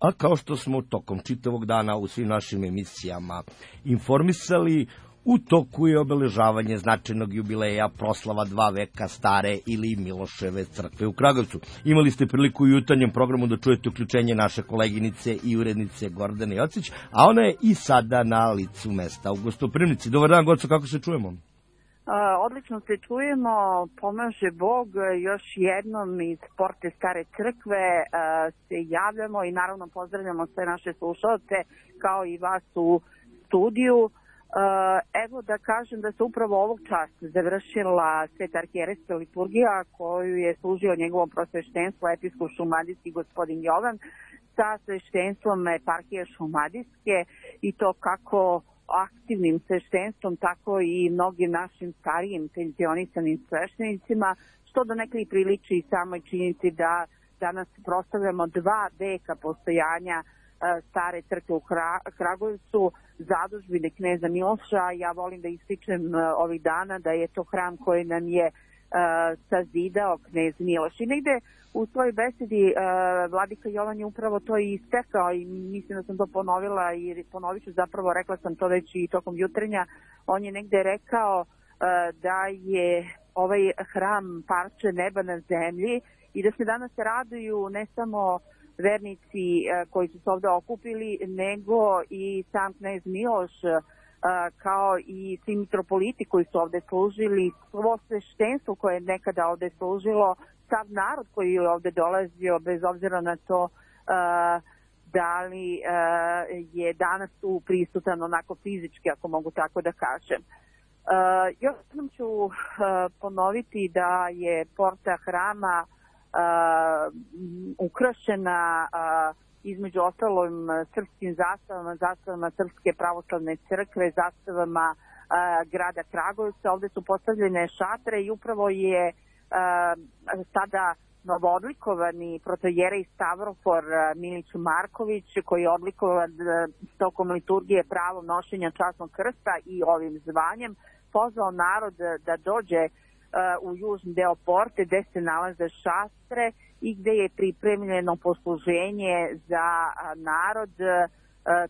A kao što smo tokom čitavog dana u svim našim emisijama informisali, u toku je obeležavanje značajnog jubileja proslava 2 veka stare ili Miloševe crkve u Kragujevcu. Imali ste priliku u jutarnjem programu da čujete uključenje naše koleginice i urednice Gordane Jocić, a ona je i sada na licu mesta u gostoprimnici. Dobar dan, Goco, kako se čujemo? Odlično se čujemo, pomaže Bog, još jednom iz Porte Stare crkve se javljamo i naravno pozdravljamo sve naše slušalce kao i vas u studiju. Evo da kažem da se upravo ovog časa završila Sveta arhijerejska liturgija koju je služio njegovo prosveštenstvo episkop šumadijski gospodin Jovan sa sveštenstvom eparhije šumadijske i to kako aktivnim sveštenstvom, tako i mnogim našim starijim penzionisanim sveštenicima, što do nekaj priliči i samoj činjenici da danas proslavljamo 2 veka postojanja stare crkve u Kragujevcu, zadužbine kneza Miloša. Ja volim da ističem ovih dana da je to hram koji nam je sazidao knez Miloš. I negde u svojoj besedi vladika Jovan je upravo to i istekao i mislim da sam to ponovila i ponovit ću, zapravo rekla sam to već i tokom jutrenja. On je negde rekao da je ovaj hram parče neba na zemlji i da se danas raduju ne samo vernici koji su se ovde okupili, nego i sam knez Miloš, kao i svi mitropoliti koji su ovde služili, svo sveštenstvo koje je nekada ovde služilo, sav narod koji je ovde dolazio, bez obzira na to da li je danas tu prisutan onako fizički, ako mogu tako da kažem. Još jednom ću ponoviti da je porta hrama ukrašena između ostalom srpskim zastavama Srpske pravoslavne crkve, zastavama grada Kragujevca. Ovde su postavljene šatre i upravo je sada novoodlikovani protojerej Stavrofor Milić Marković, koji je odlikovan tokom liturgije pravom nošenja časnog krsta i ovim zvanjem, pozvao narod da dođe u južni deo porte gde se nalaze šastre i gde je pripremljeno posluženje za narod,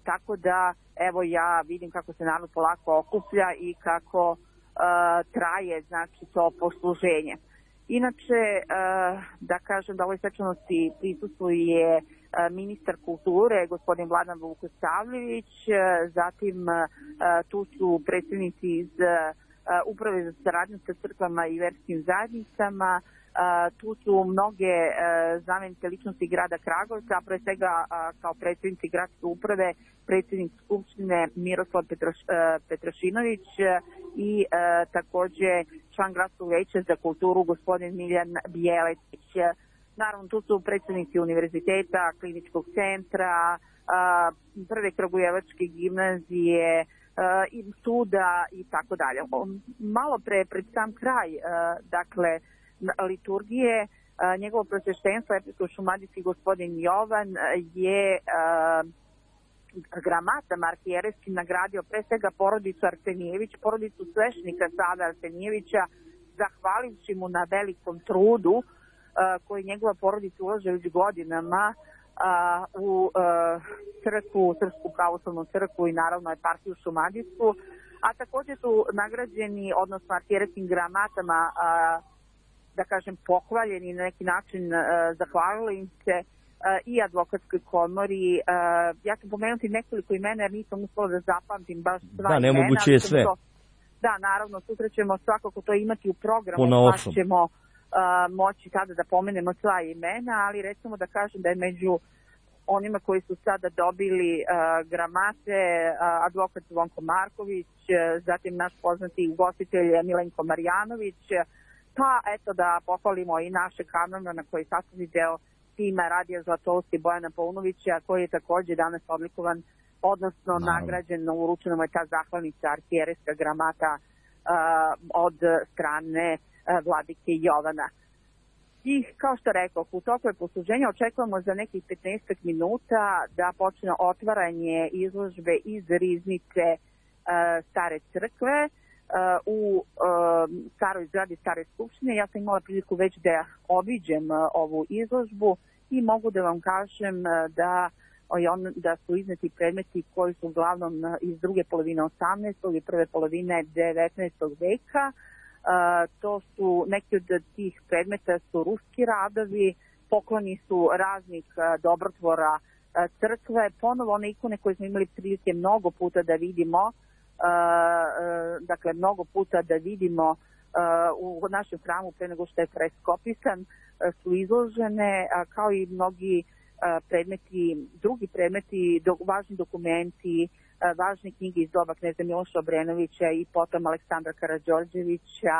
tako da evo ja vidim kako se narod polako okuplja i kako traje znači to posluženje. Inače, da kažem da ovoj svečanosti prisustvuje ministar kulture, gospodin Vladan Vukosavljević, zatim tu su predstavnici iz Uprave za saradnju sa crkvama i verskim zajednicama, tu su mnoge znamenite ličnosti grada Kragujevca, a pre svega kao predsednici gradske uprave, predsednik Skupštine Miroslav Petrašinović i takođe član gradskog veća za kulturu gospodin Miljan Bjeletić. Naravno, tu su predsednici univerziteta, kliničkog centra, prve kragujevačke gimnazije, i suda i tako dalje. Malo pred sam kraj, dakle, liturgije, njegovo prosveštenstvo, episkop šumadijski gospodin Jovan je gramatama arhijerejskim nagradio pre svega porodicu Arsenijević, porodicu sveštenika Save Arsenijevića, zahvalivši mu na velikom trudu koji njegova porodica ulaže već godinama u crkvu, Srpsku pravoslavnu crkvu i naravno eparhiju šumadijsku, a takođe su nagrađeni, odnosno arhijerejskim gramatama, da kažem, pohvaljeni na neki način, zahvalili im se i advokatskoj komori. Ja ću pomenuti nekoliko imena jer nisam uspela da zapamtim baš sva imena. Da, nemoguće je sve. Da, naravno, sutra ćemo svakako to imati u programu, pa ćemo moći tada da pomenemo sva imena, ali recimo da kažem da je među onima koji su sada dobili gramate advokat Zvonko Marković, zatim naš poznati ugostitelj Milenko Marjanović, pa eto da pohvalimo i naše kameraona koji sastavni deo tima Radija Zlatousti Bojana Paunovića, koji je takođe danas odlikovan, odnosno nagrađen, uručena mu je ta zahvalnica arhijerejska gramata od strane vladike Jovana. I kao što rekao, u toku je posluženja očekujemo za nekih 15 minuta da počne otvaranje izložbe iz riznice Stare crkve u staroj zgradi Stare skupštine. Ja sam imala priliku već da obiđem ovu izložbu i mogu da vam kažem da da su izneti predmeti koji su uglavnom iz druge polovine 18. i prve polovine 19. veka. To su neki od tih predmeta su ruski radovi, pokloni su raznih dobrotvora crkve, ponovo one ikone koje smo imali prilike mnogo puta da vidimo, dakle mnogo puta da vidimo u našem hramu pre nego što je freskopisan, su izložene, kao i mnogi predmeti, drugi predmeti, važni dokumenti, važne knjige iz doba kneza Miloša Obrenovića i potom Aleksandra Karađorđevića,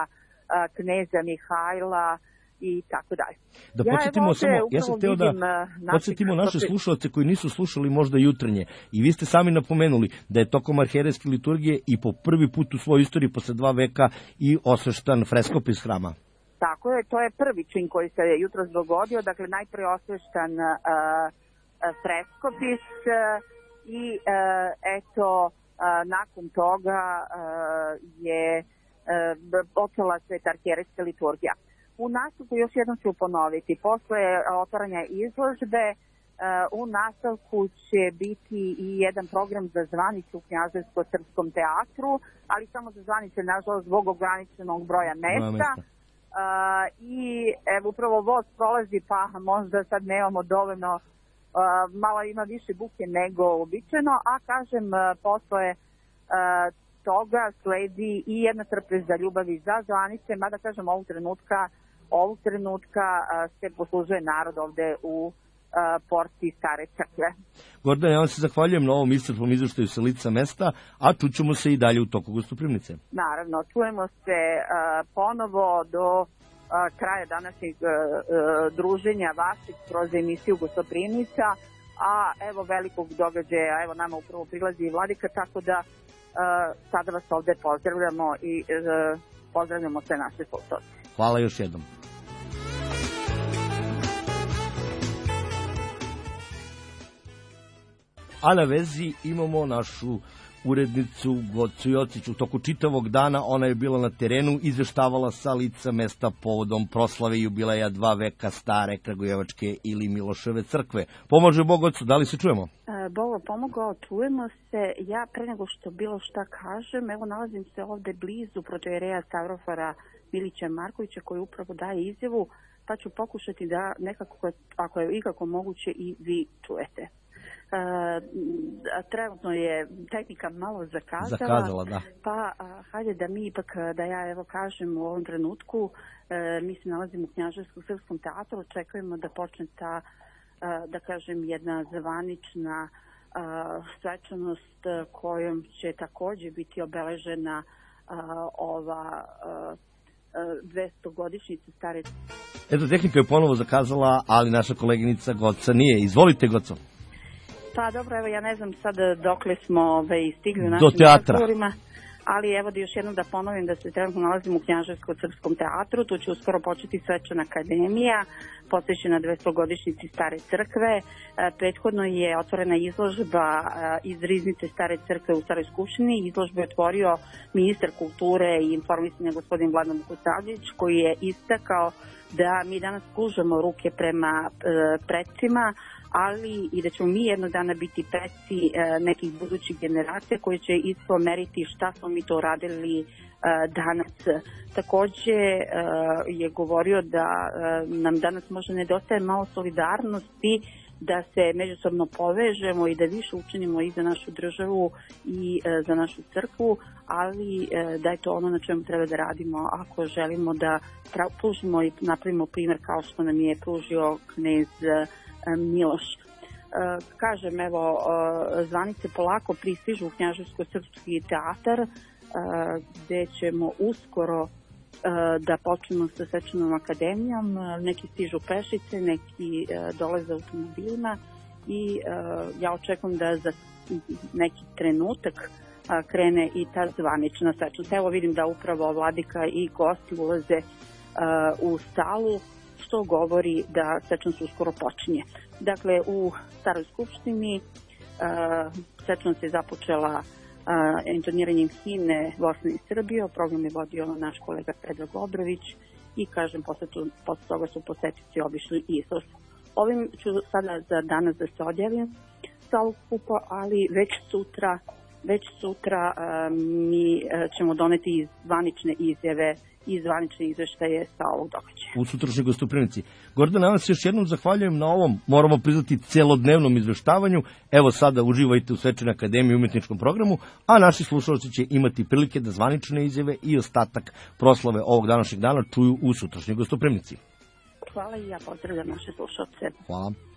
kneza Mihajla i tako dalje. Da podsjetimo ja sam hteo da podsjetimo naše slušalce koji nisu slušali možda jutarnje. I vi ste sami napomenuli da je tokom arhijerejske liturgije i po prvi put u svojoj istoriji posle 2 veka i osveštan freskopis hrama. Tako je, to je prvi čin koji se jutros dogodio, dakle najpre osveštan freskopis i eto nakon toga je počela sveta arhijerejska liturgija. U nastavku još jednom ću ponoviti, posle otvaranja izložbe u nastavku će biti i jedan program za zvanicu u Knjaževsko-srpskom teatru, ali samo za zvanice, nažalost, zbog ograničenog broja mesta. I evo, upravo voz prolazi, pa možda sad nemamo dovoljno, malo ima više buke nego običajno, a kažem, posle toga sledi i jedna trpeza ljubavi za zvanice, mada kažem ovog trenutka se poslužuje narod ovde u porti Stare crkve. Gordana, ja vam se zahvaljujem na ovom iscrpnom izveštaju sa lica mesta, a čućemo se i dalje u toku Gostoprimnice. Naravno, čujemo se ponovo do kraja današnjeg druženja vaših kroz emisiju Gostoprimnica, a evo velikog događaja, evo nama upravo prilazi i Vladika, tako da sada vas ovde pozdravljamo i pozdravljamo sve naše slušalce. Hvala još jednom. A na vezi imamo našu urednicu Gocu Jocić. U toku čitavog dana ona je bila na terenu, izveštavala sa lica mesta povodom proslave jubileja 2 veka stare Kragujevačke ili Miloševe crkve. Pomože Bog, Gocu, da li se čujemo? Bog pomogao, čujemo se. Ja pre nego što bilo šta kažem, evo nalazim se ovde blizu protojereja Stavrofara Milića Markovića koji upravo daje izjavu, pa ću pokušati da nekako, ako je ikako moguće, i vi čujete. Trenutno je tehnika malo zakazala, da. Pa hajde da mi ipak, da ja evo kažem u ovom trenutku, mi se nalazimo u Knjaževsko-srpskom teatru, očekujemo da počne ta, da kažem, jedna zvanična svečanost kojom će takođe biti obeležena ova 200-godišnjica stare. Eto, tehnika je ponovo zakazala, ali naša koleginica Goca nije. Izvolite, Goco. Pa dobro, evo ja ne znam sad dokle smo stigli u našim razgovorima, ali evo da još jednom da ponovim da se trenutno nalazimo u Knjaževsko-srpskom teatru, tu će uskoro početi svečana akademija, posvećena 200-godišnjici Stare crkve. Prethodno je otvorena izložba iz riznice Stare crkve u Staroj skupštini. Izložbu je otvorio ministar kulture i informisanja gospodin Vladan Vukosavljević, koji je istakao da mi danas pružamo ruke prema precima, ali i da ćemo mi jednog dana biti preci nekih budućih generacija koji će isto meriti šta smo mi to radili danas. Takođe je govorio da nam danas možda nedostaje malo solidarnosti, da se međusobno povežemo i da više učinimo i za našu državu i za našu crkvu, ali da je to ono na čemu treba da radimo ako želimo da pružimo i napravimo primer kao što nam je pružio knez Miloš. Kažem, evo, zvanice polako pristižu u Knjaževsko-srpski teatar, gde ćemo uskoro da počnemo sa svečanom akademijom. Neki stižu pešice, neki dolaze automobilima i ja očekujem da za neki trenutak krene i ta zvanična svečanost. Evo vidim da upravo Vladika i gosti ulaze u salu, što govori da svečanost uskoro počinje. Dakle, u Staroj skupštini svečanost je započela intoniranjem himne Bosne i Srbije. Program je vodio naš kolega Predrag Obrović i, kažem, posle toga su posetioci obišli izložbu. Ovim ću sada za danas da se odjavim. sa ovog skupa, ali već sutra mi ćemo doneti zvanične izjave i zvanične izveštaje sa ovog događaja. U sutrašnjoj gostoprimici. Gordana, ja vam se još jednom zahvaljujem na ovom, moramo priznati, celodnevnom izveštavanju. Evo sada uživajte u Svečanoj akademiji umetničkom programu, a naši slušalci će imati prilike da zvanične izjave i ostatak proslave ovog današnjeg dana čuju u sutrašnjoj gostoprimici. Hvala i ja pozdravljam naše slušalce. Hvala.